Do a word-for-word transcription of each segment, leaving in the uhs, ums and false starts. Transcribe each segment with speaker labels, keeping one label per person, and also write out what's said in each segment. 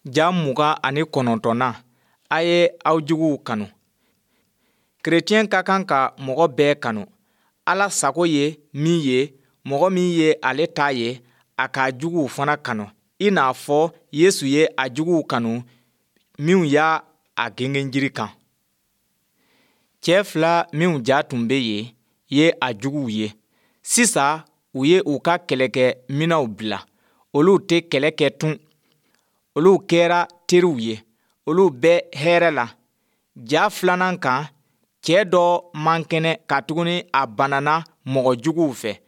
Speaker 1: Ja mugan ani kɔnɔntɔnnan, a ye aw juguw kanu. Kerecɛn ka kan ka mɔgɔ bɛɛ kanu. Ala sago ye min ye, mɔgɔ min ye ale ta ye, a k'a juguw fana kanu i n'a fɔ Yesu ye a juguw kanu minnu y'a a gengenjiri kan. Cɛ fila minnu ja tun bɛ yen ye a juguw ye. Sisan u ye u ka kɛlɛkɛ minɛnw bila, olu tɛ kɛlɛ kɛ tun. Olu kɛra teriw ye, olu bɛ hɛrɛ la. Ja filanan kan, cɛ dɔ man kɛnɛ katuguni a banana mɔgɔ juguw fɛ.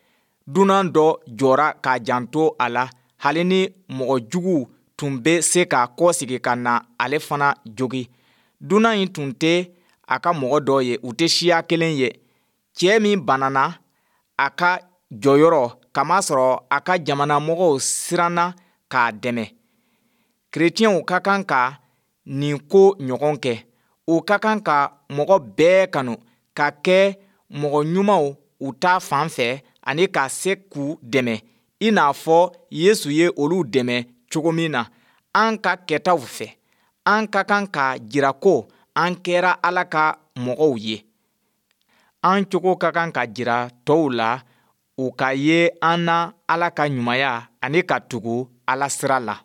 Speaker 1: Dunan dɔ jɔra k'a janto a la hali ni mɔgɔ juguw tun bɛ se ka kɔsegin ka na ale fana jogin. Dunan in tun tɛ a ka mɔgɔ dɔ ye, u tɛ siya kelen ye. Cɛ min banana a ka jɔyɔrɔ kamasɔrɔ a ka jamana mɔgɔw siranna k'a dɛmɛ. Kerecɛnw ka kan ka nin ko ɲɔgɔn kɛ. U ka kan ka mɔgɔ bɛɛ kanu, ka kɛ mɔgɔ ɲumanw u ta fan fɛ ani ka se k'u dɛmɛ i n'a fɔ Yesu ye olu dɛmɛ cogo min na. An ka kɛtaw fɛ, an ka kan k'a jira ko an kɛra Ala ka mɔgɔw ye. An cogo ka kan ka jira tɔw la u ka ye an na Ala ka ɲumanya ani ka tugu Ala sira la.